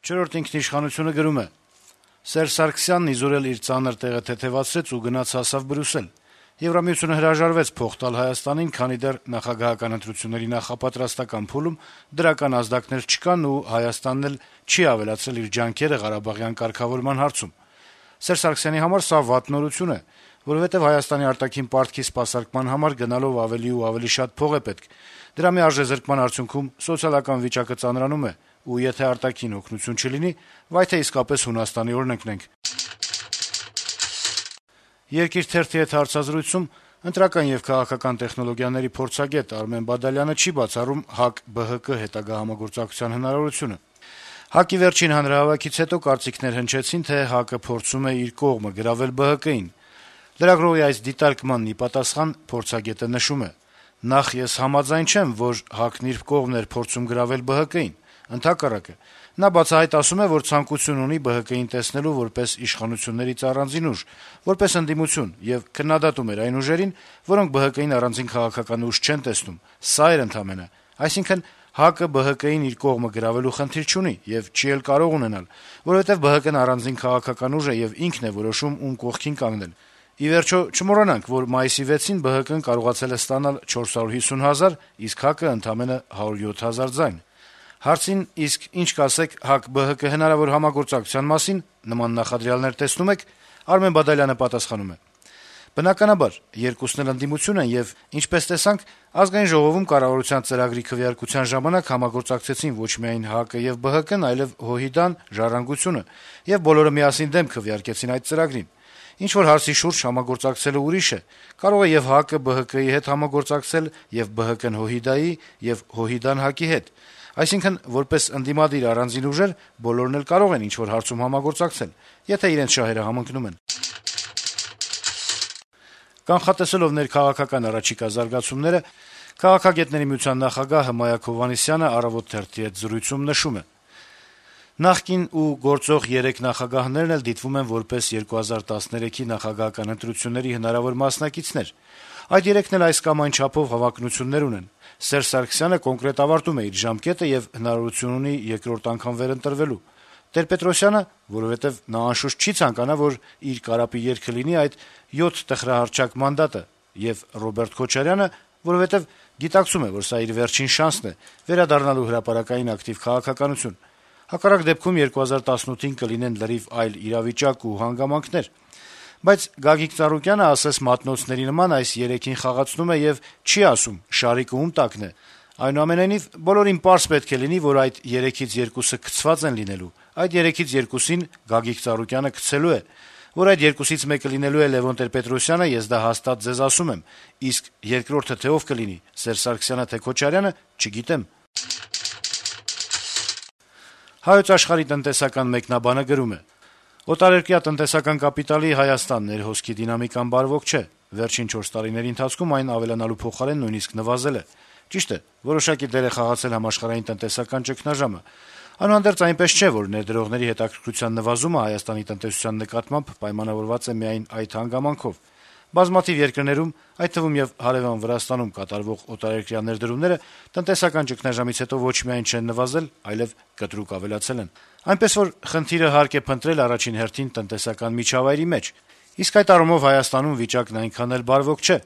Չորրորդ ինքնիշխանությունը գրում է. - Սերժ Սարգսյանն իզորել իր ծանր տեղը թեթեւացրեց ու գնաց հասավ Բրյուսել: Եվրամիությունը հրաժարվեց փող տալ Հայաստանին, քանի դեռ նախագահական ընտրությունների նախապատրաստական փուլում դրական ազդակներ չկան ու Հայաստանն էլ չի ավելացրել իր ջանքերը Ղարաբաղյան կարգավորման հարցում: Սերժ Սարգսյանի համար սա վատ նորություն է, որովհետեւ Հայաստանի արտաքին պարտքի սպասարկման համար գնալով ավելի ու ավելի շատ փող է պետք: Դրա միարժեզրկման արդյունքում սոցիալական վիճակը ծանրանում է, ու եթե արտաքին օգնություն չլինի, վայ թե իսկապես Հունաստանի օրհնենք: «Երկիր» թերթի հետ հարցազրույցում ընտրական եւ քաղաքական տեխնոլոգիաների փորձագետ Արմեն Բադալյանը չի բացառում ՀԱԿ-ԲՀԿ հետագա համագործակցության հնարավորությունը: ՀԱԿ-ի վերջին հանրահավաքից հետո կարծիքներ հնչեցին, թե ՀԱԿ-ը փորձում է իր կողմը գրավել ԲՀԿ-ին: Լրագրողի այս դիտարկմանն ի պատասխան փորձագետը նշում է. - «Նախ, ես համաձայն չեմ, որ ՀԱԿ-ն իր կողմն էր փորձում գրավել ԲՀԿ-ին: Ընդհակառակը, նա բացահայտ ասում է, որ ցանկություն ունի ԲՀԿ-ին տեսնելու որպես իշխանություններից առանձին ուժ, որպես ընդդիմություն, եւ քննադատում էր այն ուժերին, որոնք ԲՀԿ-ին առանձին քաղաքական ուժ չեն տեսնում: Սա էր ընդամենը: Այսինքն, ՀԱԿ-ը ԲՀԿ-ին իր կողմը գրավելու խնդիր չունի եւ չի էլ կարող ունենալ, որովհետեւ ԲՀԿ-ն առանձին քաղաքական ուժ է եւ ինքն է որոշում ում կողքին կանգնել: Ի վերջո, չմոռանանք, որ մայիսի 6-ին ԲՀԿ-ն կարողացել է ստանալ 450 հազար, իսկ ՀԱԿ-ը ընդամենը 107 հազար ձայն»: Հարցին, իսկ ինչ կասեք ՀԱԿ-ԲՀԿ հնարավոր համագործակցության մասին, նման նախադրյալներ տեսնո՞ւմ եք, Արմեն Բադալյանը պատասխանում է. - «Բնականաբար, երկուսն էլ ընդդիմություն են եւ, ինչպես տեսանք, Ազգային ժողովում կառավարության ծրագրի քվեարկության ժամանակ համագործակցեցին ոչ միայն ՀԱԿ-ը եւ ԲՀԿ-ն, այլեւ ՀՅԴ-ն, «Ժառանգությունը», եւ բոլորը միասին դեմ քվեարկեցին այդ ծրագրին: Ինչ-որ հարցի շուրջ համագործակցելը ուրիշ է: Կարող է եւ ՀԱԿ-ը ԲՀԿ-ի հետ համագործակցել, եւ ԲՀԿ-ն ՀՅԴ-ի, եւ ՀՅԴ-ն ՀԱԿ-ի հետ: Այսինքն, որպես ընդդիմադիր առանձին ուժեր, բոլորն էլ կարող են ինչ-որ հարցում համագործակցել, եթե իրենց շահերը համընկնում են»: Կանխատեսելով ներքաղաքական առաջիկա զարգացումները, Քաղաքագետների միության նախագահ Հմայակ Հովհաննիսյանը «Առավոտ» թերթի հետ զրույցում նշում է. - «Նախկին ու գործող 3 նախագահներն էլ դիտվում են որպես 2013-ի նախագահական ընտրությունների հնարավոր մասնակիցներ: Այդ 3-ն էլ այս կամ այն չափով հավակնություններ ունեն: Սերժ Սարգսյանը կոնկրետ ավարտում է իր ժամկետը եւ հնարավորություն ունի երկրորդ անգամ վերընտրվելու: Տեր-Պետրոսյանը, որովհետեւ նա անշուշտ չի ցանկանա, որ իր կարապի երգը լինի այդ 7 տխրահռչակ մանդատը, եւ Ռոբերտ Քոչարյանը, որովհետեւ գիտակցում է, որ սա իր վերջին շանսն է վերադառնալու հրապարակային ակտիվ քաղաքականություն: Հակառակ դեպքում 2018-ին կլինեն լրիվ այլ իրավիճակ ու հանգամանքներ: Բայց Գագիկ Ծառուկյանը, ասես մատնոցների նման, այս 3-ին խաղացնում է եւ չի ասում` շարիկը ում տակն է: Այնուամենայնիվ, բոլորին պարզ պետք է լինի, որ այդ 3-ից 2-ը գցված են լինելու: Այդ 3-ից 2-ին Գագիկ Ծառուկյանը գցելու է: Որ այդ 2-ից մեկը լինելու է Լեւոն Տեր-Պետրոսյանը, ես դա հաստատ ձեզ ասում եմ, իսկ երկրորդը թե ով կլինի` Սերժ Սարգսյանը, թե Քոչարյանը, չգիտեմ»: «Հայոց Աշխարհ»-ի տնտեսական մեկնաբանը գրում է. - «Օտարերկրյա տնտեսական կապիտալի Հայաստան ներհոսքի դինամիկան բարվոք չէ: Վերջին 4 տարիների ընթացքում այն ավելանալու փոխարեն նույնիսկ նվազել է: Ճիշտ է, որոշակի դեր է խաղացել համաշխարհային տնտեսական ճգնաժամը: Այնուհանդերձ այնպես չէ, որ ներդրողների հետաքրքրության նվազումը Հայաստանի տնտեսության նկատմամբ պայմանավորված է միայն այդ հանգամանքով: Բազմաթիվ երկրներում, այդ թվում եւ հարեւան Վրաստանում կատարվող օտարերկրյա ներդրումները տնտեսական ճգնաժամից հետո ոչ միայն չեն նվազել, այլեւ կտրուկ ավելացել են: Այնպես որ խնդիրը հարկ է փնտրել առաջին հերթին տնտեսական միջավայրի մեջ: Իսկ այդ առումով Հայաստանում վիճակն այնքան էլ բարվոք չէ»: